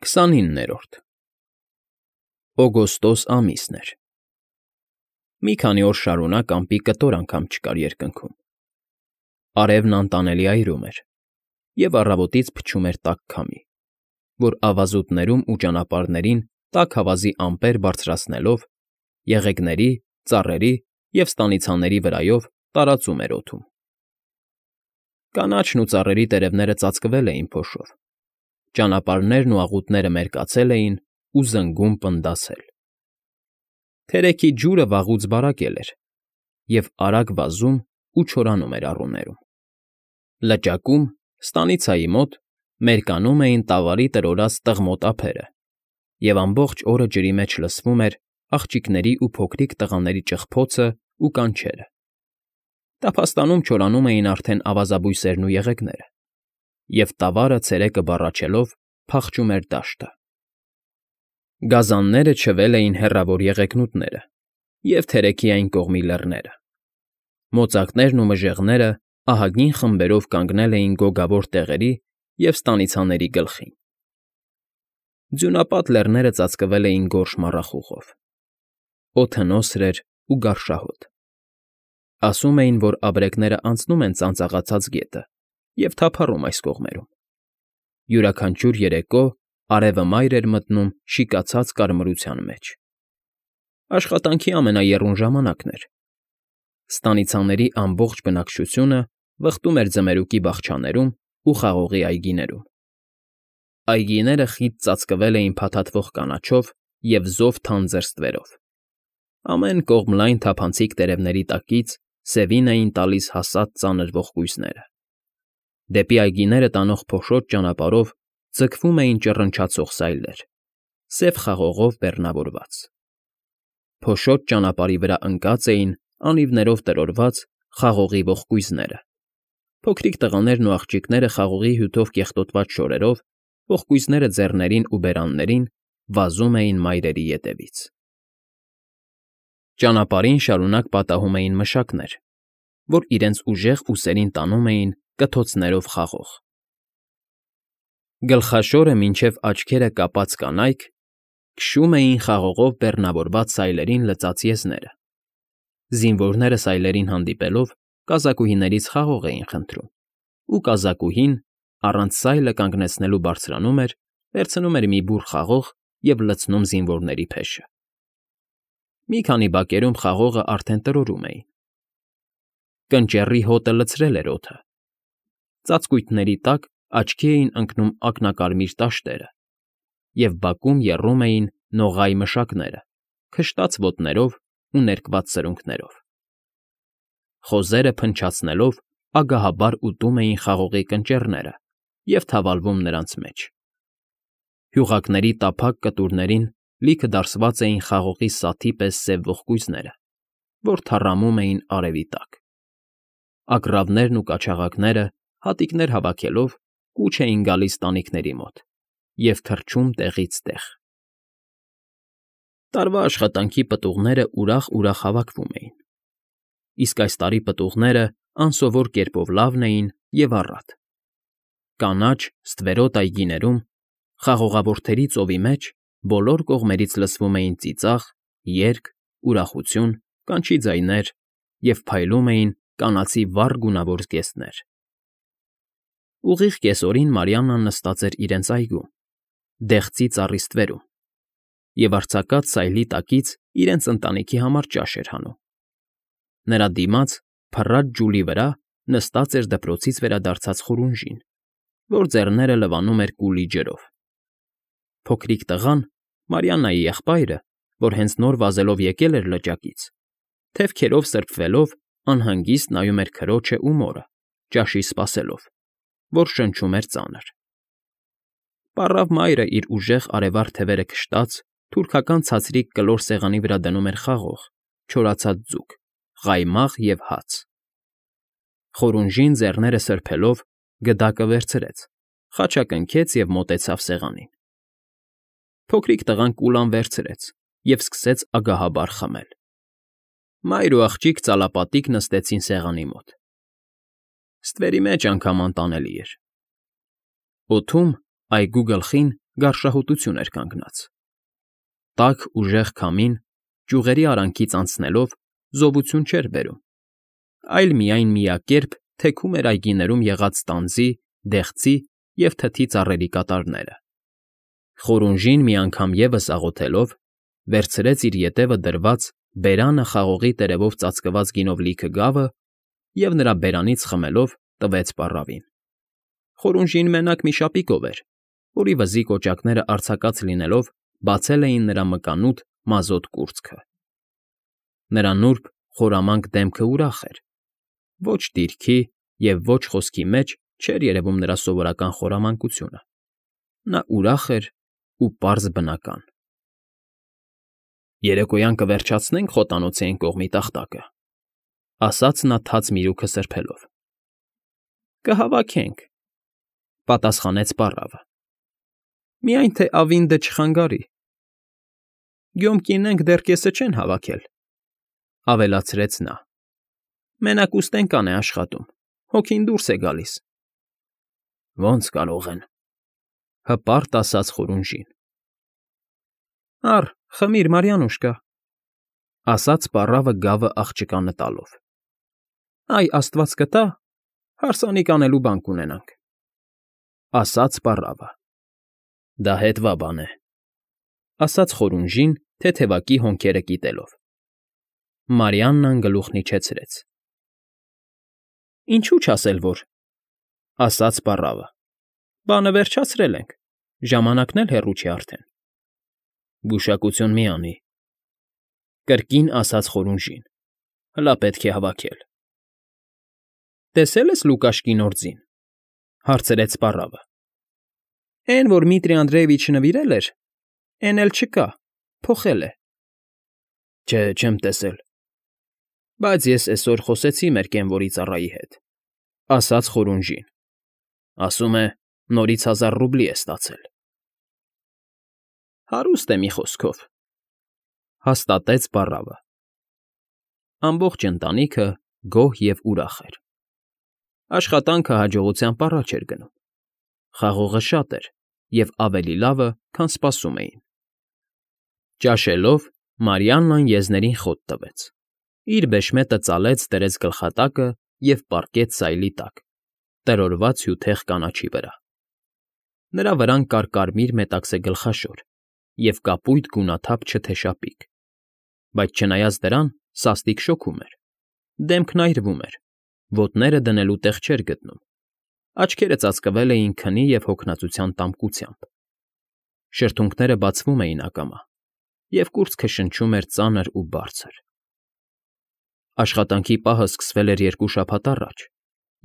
29-րդ օգոստոս ամիսն էր։ Մի քանի օր շարունակ ամպի կտոր անգամ չկար երկնքում։ Արևն անտանելի այրում էր, և առավոտից փչում էր տաք քամի, որ ավազուտներում ու ճանապարհներին տաք ավազի ամպեր բարձրացնելով, եղեգների, ծառերի և ստանիցաների վրայով տարածում էր օդում։ Կանաչն ու ծառերի տերևները ծածկվել էին փոշով, ճանապարհներն ու աղուտները մերկացել էին ու զնգում պնդասել։ Թերեքի ջուրը վաղուց բարակել էր և արագ վազում ու չորանում էր առուներում։ Լճակում, ստանիցայի մոտ, մերկանում էին տավարի տրորած տղմոտ ափերը, և ամբողջ օրը ջրի մեջ լսվում էր աղջիկների ու փոքրիկ տղաների ճղփոցն ու կանչերը։ Տափաստանում չորանում էին արդեն ավազաբույսերն ու եղեգները, և տավարը ցերեկը բառաչելով փախչում էր դաշտը։ Գազանները չվել էին հեռավոր եղեգնուտները և թերեքի այն կողմի լեռները։ Մոծակներն ու մժեղները ահագին խմբերով կանգնել էին գոգավոր տեղերի և ստանիցաների գլխին։ Ձյունապատ լեռները ծածկվել էին գորշ մառախուղով։ Օդը նոսր էր ու գարշահոտ։ Ասում էին, որ абրեկները անցնում են ծանծաղացած գետը և թափառում այս կողմերում։ Յուրաքանչյուր երեկո արևը մայր էր մտնում շիկացած կարմրության մեջ։ Աշխատանքի ամենաեռուն ժամանակն էր։ Ստանիցաների ամբողջ բնակչությունը վխտում էր ձմերուկի բաղչաներում ու խաղողի այգիներում։ Այգիները խիտ ծածկվել էին փաթաթվող կանաչով և զով թանձր ստվերով։ Ամեն կողմ լայն թափանցիկ տերևների տակից սևին էին տալիս հասած ծանր ողկույզները։ Դեպի այգիները տանող փոշոտ ճանապարհով ձգվում էին ճռնչացող սայլեր, սև խաղողով բեռնավորված։ Փոշոտ ճանապարհի վրա ընկած էին անիվներով տրորված խաղողի ողկույզները։ Փոքրիկ տղաներն ու աղջիկները խաղողի հյութով կեղտոտված շորերով, ողկույզները ձեռներին ու բերաններին, վազում էին մայրերի ետևից։ Ճանապարհին շարունակ պատահում էին մշակներ, որ իրենց ուժեղ ուսերին տանում էին կթոցներով խաղող։ Գլխաշորը մինչև աչքերը կապած կանայք քշում էին խաղողով բեռնավորված սայլերին լցած եզները։ Զինվորները սայլերին հանդիպելով կազակուհիներից խաղող էին խնդրում, ու կազակուհին, առանց սայլը կանգնեցնելու բարձրանում էր, վերցնում էր մի բուռ խաղող և լցնում զինվորների փեշը։ Մի քանի բակերում խաղողը արդեն տրորում էին։ Կնճեռի հոտը լցրել էր օդը։ Ծածկույթների տակ աչքի էին ընկնում ակնակարմիր տաշտերը, և բակում եռում էին նողայ մշակները, քշտած ոտներով ու ներկված սրունքներով։ Խոզերը փնչացնելով ագահաբար ուտում էին խաղողի կնճեռները և թավալվում նրանց մեջ։ Հյուղակների տափակ կտուրներին լիքը դարսված էին խաղողի սաթի պես սև ողկույզները, որ թառամում էին արևի տակ։ Ագռավներն ու կաչաղակները, հատիկներ հավաքելով, կուչ էին գալիս տանիքների մոտ և թռչում տեղից տեղ։ Տարվա աշխատանքի պտուղները ուրախ֊ուրախ հավաքվում էին, իսկ այս տարի պտուղները անսովոր կերպով լավն էին և առատ։ Կանաչ, ստվերոտ այգիներում, խաղողավորթերի ծովի մեջ բոլոր կողմերից լսվում էին ծիծաղ, երգ, ուրախություն, կանչի ձայներ և փայլում էին կանացի վառ գունավոր զգեստներ։ Ուղիղ կեսօրին Մարիաննան նստած էր իրենց այգում, դեղցի ծառի ստվերում, և արձակած սայլի տակից իրենց ընտանիքի համար ճաշ էր հանում։ Նրա դիմաց, փռած ջուլի վրա, նստած էր դպրոցից վերադարձած Խորունժին, որ ձեռները լվանում էր կուլի ջրով։ Փոքրիկ տղան, Մարիաննայի եղբայրը, որ հենց նոր վազելով եկել էր լճակից, թևքերով սրբվելով անհանգիստ նայում էր քրոջն ու մորը, ճաշի սպասելով, որ շնչում էր ծանր։ Պառավ մայրը իր ուժեղ արևառ թևերը քշտած թուրքական ցածրիկ կլոր սեղանի վրա դնում էր խաղող, չորացած ձուկ, ղայմաղ և հաց։ Խորունժին ձեռները սրբելով գդակը վերցրեց, խաչակնքեց և մոտեցավ սեղանին։ Փոքրիկ տղան կուլան վերցրեց և սկսեց ագահաբար խմել։ Մայր ու աղջիկ ծալապատիկ նստեցին սեղանի մոտ։ Ստվերի մեջ անգամ անտանելի էր։ Օդում, այգու գլխին, գարշահոտություն էր կանգնած։ Տաք ուժեղ քամին, ճյուղերի արանքից անցնելով, զովություն չէր բերում, այլ միայն միակերպ թեքում էր այգիներում եղած տանձի, դեղցի և թթի ծառերի կատարները։ Խորունժին մի անգամ ևս աղոթելով, վերցրեց իր ետևը դրված բերանը խաղողի տերևով ծածկված գինով լիքը գավը և նրա բերանից խմելով տվեց պառավին։ Խորունժին մենակ մի շապիկով էր, որի վզի կոճակները արձակած լինելով բացել էին նրա մկանուտ մազոտ կուրծքը։ Նրա նուրբ, խորամանկ դեմքը ուրախ էր։ Ոչ դիրքի և ոչ խոսքի մեջ չէր երևում նրա սովորական խորամանկությունը։ Նա ուրախ էր ու պարզ բնական։ «Երեկոյան կվերջացնե՞նք խոտանոցի այն կողմի տախտակը,֊ ասաց նա թաց միրուքը սրբելով։ «Կհավաքենք,֊ պատասխանեց պառավը,֊ միայն թե ավինդը չխանգարի»։ «Գյոմ կինենք դեռ կեսը չեն հավաքել,֊ ավելացրեց նա,֊ մենակ ուստենկան է աշխատում, հոգին դուրս է գալիս»։ «Ոնց կարող են,֊ հպարտ ասաց Խորունժին։ «Առ, խմիր, Մարիանուշկա,֊ ասաց պառավը գավը աղջկա նետալով։ Այ աստված կտա, հարսանիք անելու բան կունենանք», ասաց պառավը։ «Դա հետվա բան է,֊ ասաց Խորունժին, թեթևակի հոնքերը կիտելով։ Մարիաննան գլուխն իջեցրեց։ «Ինչու՞ չասել որ,֊ ասաց պառավը,֊ բանը վերջացրել ենք, ժամանակն էլ հեռու չի արդեն»։ «Գուշակություն մի անի,֊ կրկին ասաց Խորունժին,֊ հլա պետք է հավաքել»։ «Տեսե՞լ ես Լուկաշկի նոր ձին,֊ հարցրեց պառավը։ «Էն, որ Դմիտրի Անդրեյևիչը նվիրել էր, էն էլ չկա, փոխել է»։ «Չէ, չեմ տեսել, բայց ես էսօր խոսեցի մեր կենվորի ծառայի հետ,֊ ասաց Խորունժին,֊ ասում է, նորից 1000 ռուբլի է ստացել»։ «Հարուստ է, մի խոսքով,֊ հաստատեց պառավը։ Ամբողջ ընտանիքը գոհ և ուրախ էր։ Աշխատանքը հաջողությամբ առաջ էր գնում։ Խաղողը շատ էր և ավելի լավը, քան սպասում էին։ Ճաշելով՝ Մարիաննան եզներին խոտ տվեց, իր բեշմետը ծալեց դրեց գլխատակը և պառկեց սայլի տակ, տրորված հյութեղ կանաչի վրա։ Նրա վրան կար կարմիր մետաքսե գլխաշոր և կապույտ գունաթափ չթե շապիկ, բայց չնայած դրան սաստիկ շոգում էր, դեմքն այրվում էր, ոտները դնելու տեղ չէր գտնում, աչքերը ծածկվել էին քնի և հոգնածության տամկությամբ։ Շրթունքները բացվում էին ակամա, և կուրծքը շնչում էր ծանր ու բարձր։ Աշխատանքի պահը սկսվել էր 2 շաբաթ առաջ,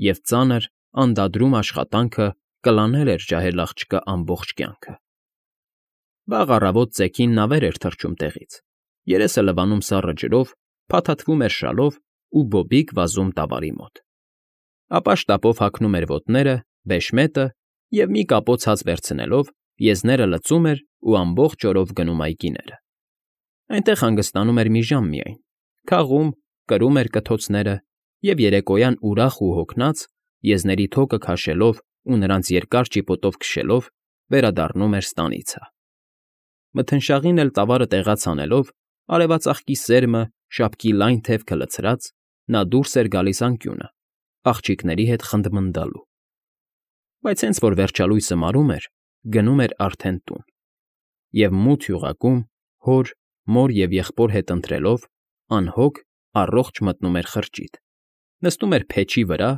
և ծանր, անդադրում աշխատանքը կլանել էր ջահել աղջկա ամբողջ կյանքը։ Վաղ առավոտ ծեքին նա վեր էր թռչում տեղից, երեսը լվանում սառը ջրով, փաթաթվում էր շալով ու բոբիկ վազում տավարի մոտ։ Ապա շտապով հագնում էր ոտները, բեշմետը և մի կապոց հաց վերցնելով, եզները լցում էր ու ամբողջ օրով գնում այգիները։ Այնտեղ հանգստանում էր մի ժամ միայն, քաղում, կրում էր կթոցները և երեկոյան ուրախ ու հոգնած, եզների թոկը քաշելով ու նրանց երկար ճիպոտով քշելով, վերադառնում էր ստանիցը։ Մթնշաղին էլ տավարը տեղաց անելով, արևածաղկի սերմը, շապկի լայն թևքը լցրած, նա դուրս էր գալիս անկյունը, աղջիկների հետ խնդմնդալու։ Բայց հենց որ վերջալույսը մարում էր, գնում էր արդեն տուն։ Եվ մութ յուղակում, հոր, մոր և եղբոր հետ ընթրելով, անհոգ, առողջ մտնում էր խրճիթ, նստում էր փեչի վրա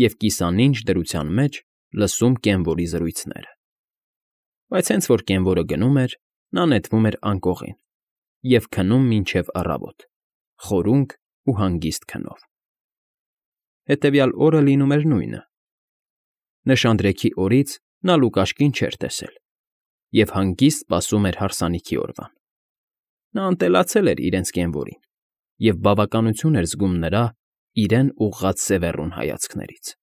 և կիսանինջ դրության մեջ լսում կենվորի զրույցները։ Բայց հենց որ կենվորը գնում էր, նա նետվում էր անկողին և քնում մինչև առավոտ, խորունկ ու հանգիստ քնով։ Հետևյալ օրը լինում էր նույնը։ Նշանдрեքի օրից նա Լուկաշկին չէր տեսել և հանգիստ սպասում էր հարսանիքի օրվան։ Նա ընտելացել էր իրենց կենվորին և բավականություն էր զգում նրա՝ իրեն ուղղած սևեռուն հայացքներից։